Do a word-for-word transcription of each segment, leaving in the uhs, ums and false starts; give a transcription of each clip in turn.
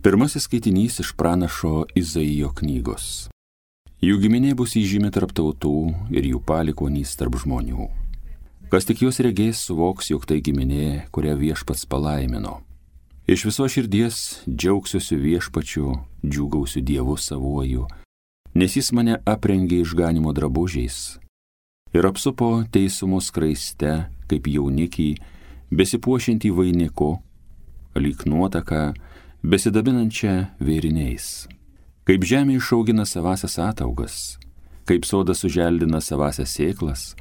Pirmasis skaitinys iš pranašo Izaijo knygos. Jų giminė bus įžymi tarp tautų ir jų palikuonys tarp žmonių. Kas tik jos regės, suvoks, jog tai giminė, kurią viešpats palaimino. Iš viso širdies džiaugsiuosi viešpačiu, džiūgausiu Dievu savuoju, nes jis mane aprengė išganimo drabužiais ir apsupo teisumo skraiste, kaip jaunikį, besipuošiantį vainiku, lyg nuotaką, besidabinančią vėriniais. Kaip žemė išaugina savasias ataugas, kaip sodas suželdina savasias sėklas,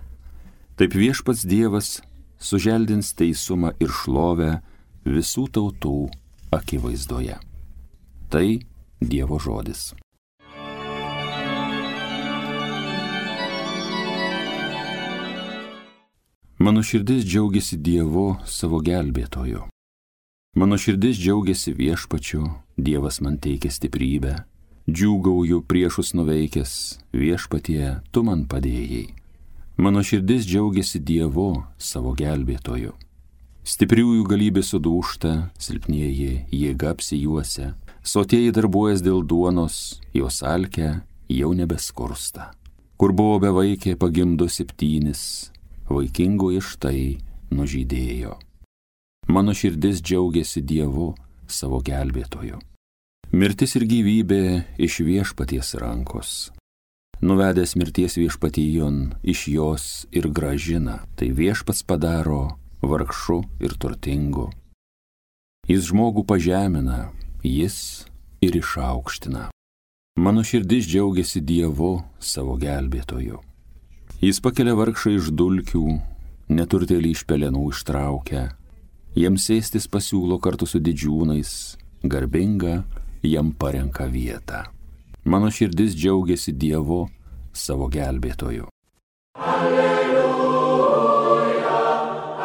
taip viešpats Dievas suželdins teisumą ir šlovę visų tautų akivaizdoje. Tai Dievo žodis. Mano širdis džiaugiasi Dievu savo gelbėtoju. Mano širdis džiaugiasi viešpačiu, Dievas man teikia stiprybę. Džiūgauju priešus nuveikęs, viešpatie, tu man padėjai. Mano širdis džiaugiasi Dievu savo gelbėtoju. Stipriųjų galybė sudūžta, silpnieji jėga apsijuosia, sotieji darbuojas dėl duonos, jos alkę jau nebeskursta. Kur buvo bevaikė, pagimdo septynis, vaikingoji štai nužydėjo. Mano širdis džiaugiasi Dievu savo gelbėtoju. Mirtis ir gyvybė iš viešpaties rankos. Nuvedęs mirties viešpatijon, iš jos ir gražina, tai viešpats padaro vargšu ir turtingu. Jis žmogų pažemina, jis ir išaukština. Mano širdis džiaugiasi Dievu savo gelbėtoju. Jis pakelia vargšą iš dulkių, neturtėlį iš pelenų ištraukia, jiems sėstis pasiūlo kartu su didžiūnais, garbinga jam parenka vietą. Mano širdis džiaugiasi Dievu savo gelbėtoju. Alleluja,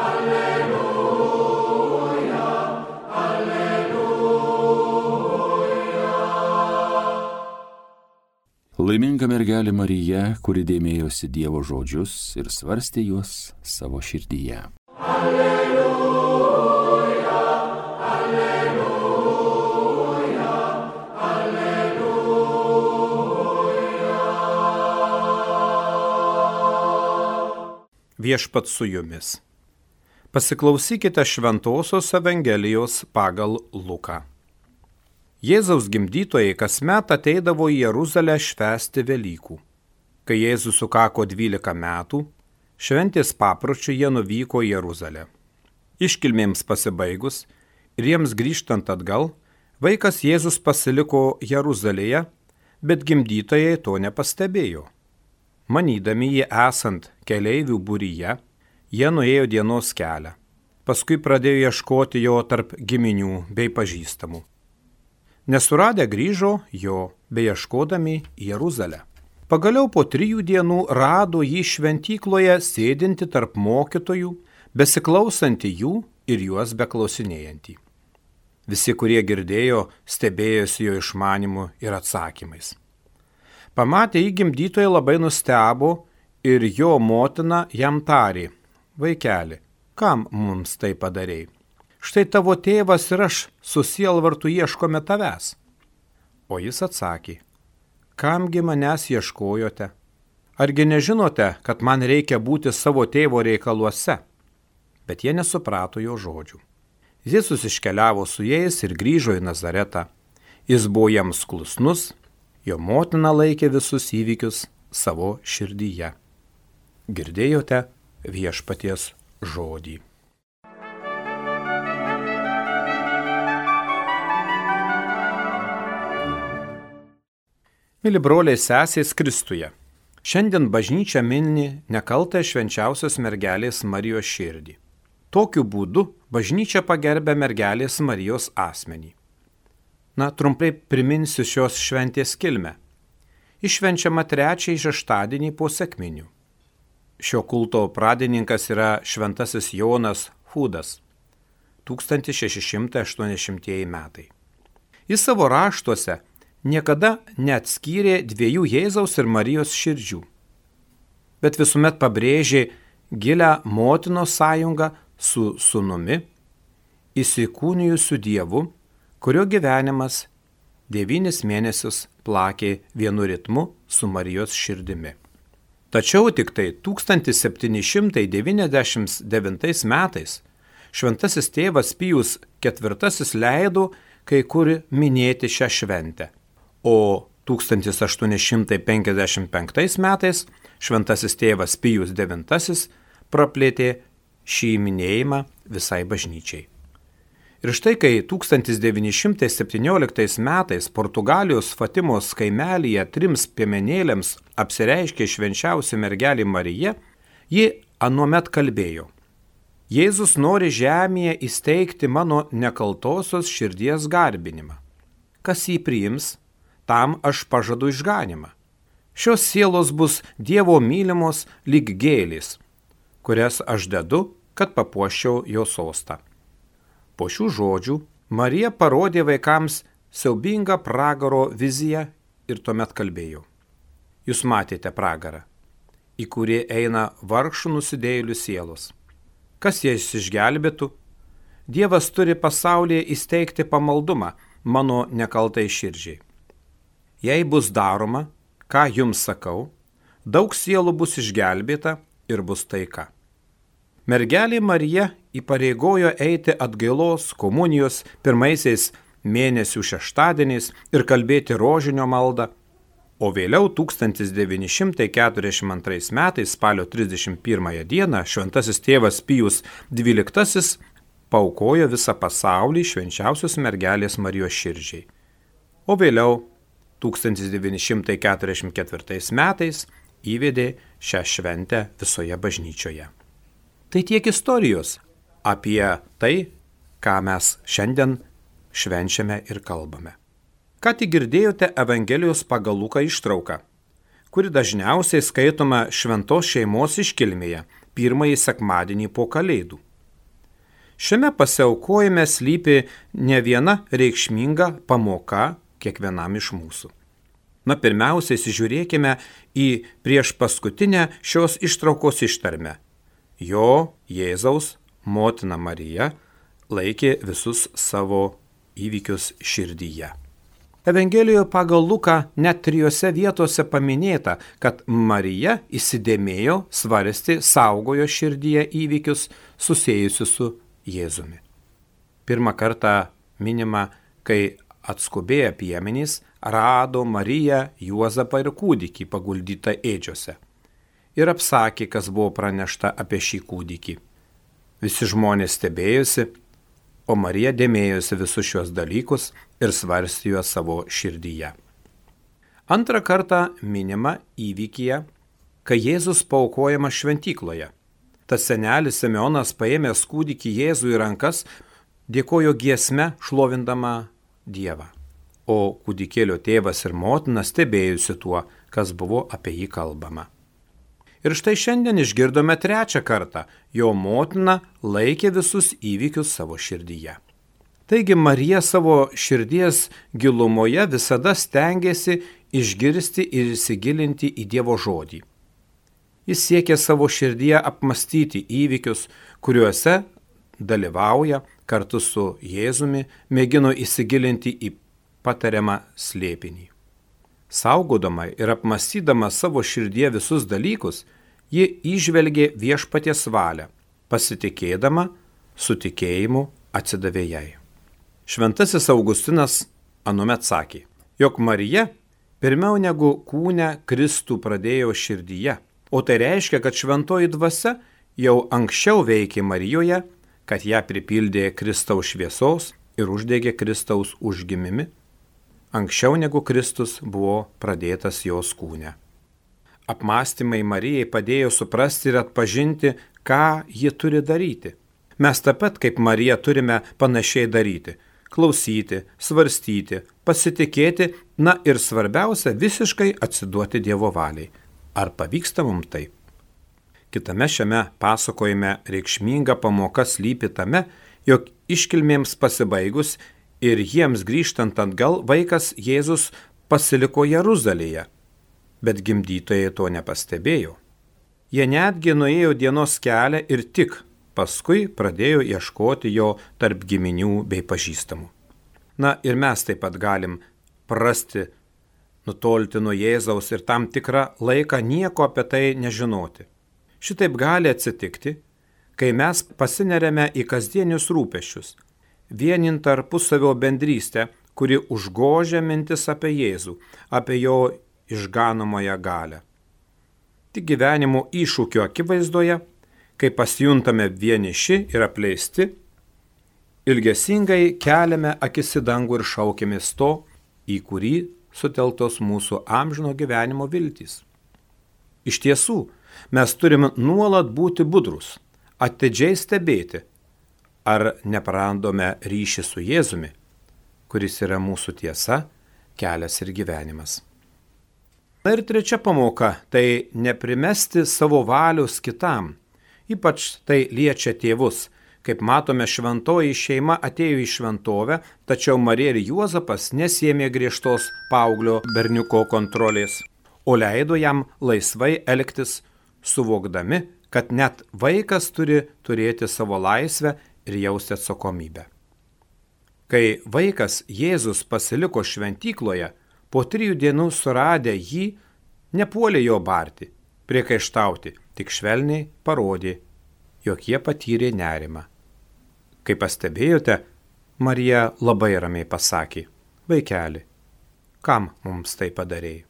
alleluja, alleluja. Laiminga mergelė Marija, kuri dėmėjosi Dievo žodžius ir svarstė juos savo širdyje. Alleluja, alleluja, alleluja. Viešpats su jumis. Pasiklausykite Šventosios Evangelijos pagal Luką. Jėzaus gimdytojai kasmet ateidavo į Jeruzalę švęsti Velykų. Kai Jėzus sukako dvylika metų, šventės papročiu jie nuvyko į Jeruzalę. Iškilmėms pasibaigus ir jiems grįžtant atgal, vaikas Jėzus pasiliko Jeruzalėje, bet gimdytojai to nepastebėjo. Manydami jį esant keleivių būryje, jie nuėjo dienos kelią. Paskui pradėjo ieškoti jo tarp giminių bei pažįstamų. Nesuradę grįžo jo, beieškodami į Jeruzalę. Pagaliau po trijų dienų rado jį šventykloje sėdinti tarp mokytojų, besiklausantį jų ir juos beklausinėjantį. Visi, kurie girdėjo, stebėjosi jo išmanimu ir atsakymais. Pamatę jį gimdytojai labai nustebo ir jo motina jam tarė: vaikeli, kam mums tai padarei? Štai tavo tėvas ir aš su sielvartu ieškome tavęs. O jis atsakė: kamgi manęs ieškojote? Argi nežinote, kad man reikia būti savo tėvo reikaluose? Bet jie nesuprato jo žodžių. Jėzus iškeliavo su jais ir grįžo į Nazaretą. Jis buvo jiems klusnus, jo motina laikė visus įvykius savo širdyje. Girdėjote viešpaties žodį. Mili broliai sesės Kristuje, šiandien bažnyčia mini nekaltąją švenčiausios mergelės Marijos širdį. Tokiu būdu bažnyčia pagerbia mergelės Marijos asmenį. Na, trumpai priminsiu šios šventės kilmę. Iššvenčiama trečiąjį šeštadienį po sekminių. Šio kulto pradininkas yra šventasis Jonas Hudas, tūkstantis šeši šimtai aštuoniasdešimtieji metai. Jis savo raštuose niekada neatskyrė dviejų Jėzaus ir Marijos širdžių, bet visuomet pabrėžė gilią motinos sąjungą su sūnumi, įsikūnijusiu Dievu, kurio gyvenimas devynis mėnesius plakė vienu ritmu su Marijos širdimi. Tačiau tik tai tūkstantis septyni šimtai devyniasdešimt devintais metais šventasis tėvas Pijus ketvirtasis leido kai kur minėti šią šventę, o tūkstantis aštuoni šimtai penkiasdešimt penktais metais šventasis tėvas Pijus devintasis praplėtė šį minėjimą visai bažnyčiai. Ir štai kai tūkstantis devyni šimtai septynioliktais metais Portugalijos Fatimos kaimelyje trims piemenėlėms apsireiškė švenčiausia mergelė Marija, ji anuomet kalbėjo: Jėzus nori žemėje įsteigti mano nekaltosios širdies garbinimą. Kas jį priims, tam aš pažadu išganimą. Šios sielos bus Dievo mylimos lyg gėlės, kurias aš dedu, kad papuoščiau jo sostą. Po šių žodžių Marija parodė vaikams siaubingą pragaro viziją ir tuomet kalbėjo: Jūs matėte pragarą, į kurį eina vargšų nusidėjėlių sielos. Kas jas išgelbėtų? Dievas turi pasaulyje įsteigti pamaldumą mano nekaltai širdžiai. Jei bus daroma, ką jums sakau, daug sielų bus išgelbėta ir bus taika. Mergelė Marija įpareigojo eiti atgailos komunijos pirmaisiais mėnesių šeštadieniais ir kalbėti rožinio maldą, o vėliau tūkstantis devyni šimtai keturiasdešimt antrais metais spalio trisdešimt pirmąją dieną šventasis tėvas Pijus dvyliktasis paaukojo visą pasaulį švenčiausios mergelės Marijos širdžiai, o vėliau tūkstantis devyni šimtai keturiasdešimt ketvirtais metais įvedė šią šventę visoje bažnyčioje. Tai tiek istorijos apie tai, ką mes šiandien švenčiame ir kalbame. Ką tik girdėjote Evangelijos pagal Luką ištrauką, kuri dažniausiai skaitoma šventos šeimos iškilmėje pirmąjį sekmadienį po Kalėdų. Šiame pasiaukojime slypi ne viena reikšminga pamoka kiekvienam iš mūsų. Na, pirmiausia, įsižiūrėkime į prieš paskutinę šios ištraukos ištarmę. Jo, Jėzaus, motina Marija, laikė visus savo įvykius širdyje. Evangelijoje pagal Luką net trijose vietose paminėta, kad Marija įsidėmėjo, svarstė, saugojo širdyje įvykius susijusius su Jėzumi. Pirmą kartą minima, kai atskubėję piemenys rado Mariją, Juozapą ir kūdikį paguldytą ėdžiose ir apsakė, kas buvo pranešta apie šį kūdikį. Visi žmonės stebėjosi, o Marija dėmėjosi visus šios dalykus ir svarstė juos savo širdyje. Antrą kartą minima įvykyje, kai Jėzus paaukojamas šventykloje. Tas senelis Simeonas paėmęs kūdikį Jėzų į rankas, dėkojo giesme šlovindama Dievą, o kūdikėlio tėvas ir motina stebėjusi tuo, kas buvo apie jį kalbama. Ir štai šiandien išgirdome trečią kartą, jo motina laikė visus įvykius savo širdyje. Taigi Marija savo širdies gilumoje visada stengiasi išgirsti ir įsigilinti į Dievo žodį. Jis siekia savo širdyje apmastyti įvykius, kuriuose dalyvauja kartu su Jėzumi, mėgino įsigilinti į patariamą slėpinį. Saugodama ir apmastydama savo širdyje visus dalykus, ji įžvelgė viešpaties valią, pasitikėdama, su tikėjimu atsidavė jai. Šventasis Augustinas anuomet sakė, jog Marija pirmiau negu kūne Kristų pradėjo širdyje, o tai reiškia, kad šventoji dvasia jau anksčiau veikė Marijoje, kad ją pripildė Kristaus šviesos ir uždegė Kristaus užgimimi, anksčiau negu Kristus buvo pradėtas jos kūne. Apmąstymai Marijai padėjo suprasti ir atpažinti, ką ji turi daryti. Mes taip pat kaip Marija turime panašiai daryti – klausyti, svarstyti, pasitikėti, na ir svarbiausia visiškai atsiduoti Dievo valiai. Ar pavyksta mums taip? Kitame šiame pasakojime reikšminga pamoka slypi tame, jog iškilmėms pasibaigus ir jiems grįžtant atgal vaikas Jėzus pasiliko Jeruzalėje, bet gimdytojai to nepastebėjo. Jie netgi nuėjo dienos kelią ir tik paskui pradėjo ieškoti jo tarp giminių bei pažįstamų. Na ir mes taip pat galim prasti, nutolti nuo Jėzaus ir tam tikrą laiką nieko apie tai nežinoti. Šitaip gali atsitikti, kai mes pasineriame į kasdienius rūpesčius, vienint tarpusavio bendrystę, kuri užgožia mintis apie Jėzų, apie jo išganomąją galią. Tik gyvenimo iššūkio akivaizdoje, kai pasijuntame vieniši ir apleisti, ilgesingai keliame akis į dangų ir šaukėmės to, į kurį suteltos mūsų amžino gyvenimo viltys. Iš tiesų, mes turime nuolat būti budrus, atidžiai stebėti, ar neprarandome ryšį su Jėzumi, kuris yra mūsų tiesa, kelias ir gyvenimas. Na ir trečia pamoka – tai neprimesti savo valios kitam. Ypač tai liečia tėvus. Kaip matome, šventoji šeima atėjo į šventovę, tačiau Marija ir Juozapas nesiėmė griežtos paauglio berniuko kontrolės, o leido jam laisvai elgtis, suvokdami, kad net vaikas turi turėti savo laisvę ir jausti atsakomybę. Kai vaikas Jėzus pasiliko šventykloje, po trijų dienų suradę jį, nepuolė jo barti, priekaištauti, tik švelniai parodė, jog jie patyrė nerimą. Kai pastebėjote, Marija labai ramiai pasakė, vaikeli, kam mums tai padarėjai?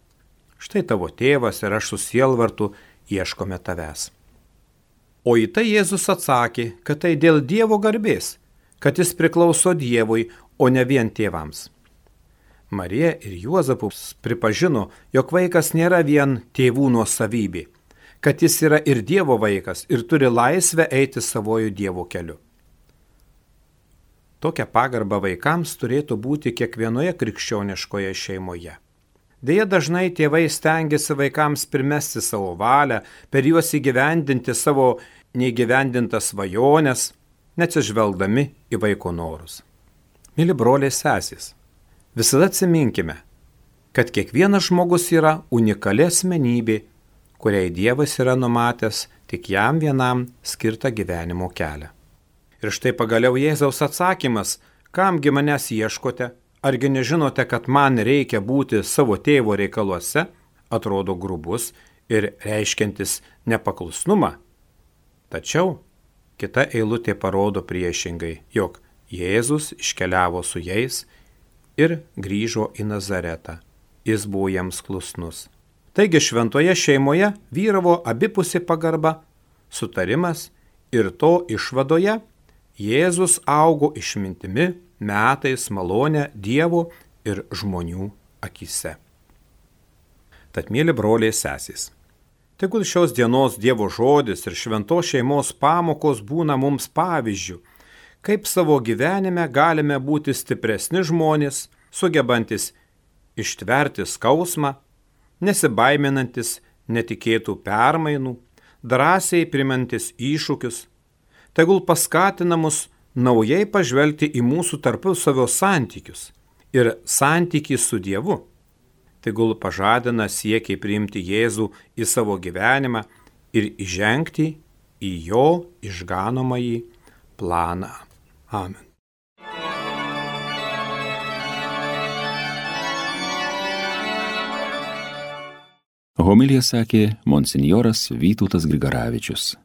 Štai tavo tėvas ir aš su sielvartu ieškome tavęs. O į tai Jėzus atsakė, kad tai dėl Dievo garbės, kad jis priklauso Dievui, o ne vien tėvams. Marija ir Juozapas pripažino, jog vaikas nėra vien tėvų nuosavybė, kad jis yra ir Dievo vaikas ir turi laisvę eiti savojų Dievo keliu. Tokia pagarba vaikams turėtų būti kiekvienoje krikščioniškoje šeimoje. Deja, dažnai tėvai stengiasi vaikams primesti savo valią, per juos įgyvendinti savo neįgyvendintas svajones, neatsižvelgdami į vaiko norus. Mili broliai sesės, visada atsiminkime, kad kiekvienas žmogus yra unikali asmenybė, kuriai Dievas yra numatęs tik jam vienam skirtą gyvenimo kelią. Ir štai pagaliau Jėzaus atsakymas, kamgi manęs ieškote, argi nežinote, kad man reikia būti savo tėvo reikaluose, atrodo grubus ir reiškiantis nepaklusnumą. Tačiau kita eilutė parodo priešingai, jog Jėzus iškeliavo su jais ir grįžo į Nazaretą. Jis buvo jiems klusnus. Taigi šventoje šeimoje vyravo abipusė pagarba, sutarimas ir to išvadoje Jėzus augo išmintimi, metais, malonę Dievo ir žmonių akyse. Tad, mėly broliai sesės, tegul šios dienos Dievo žodis ir šventos šeimos pamokos būna mums pavyzdžių, kaip savo gyvenime galime būti stipresni žmonės, sugebantis ištverti skausmą, nesibaiminantis netikėtų permainų, drąsiai primantis iššūkius, tegul paskatina mus naujai pažvelgti į mūsų tarpusavio santykius ir santykį su Dievu. Tegul pažadina siekiai priimti Jėzų į savo gyvenimą ir įžengti į jo išganomąjį planą. Amen. Homiliją sakė monsinjoras Vytautas Grigaravičius.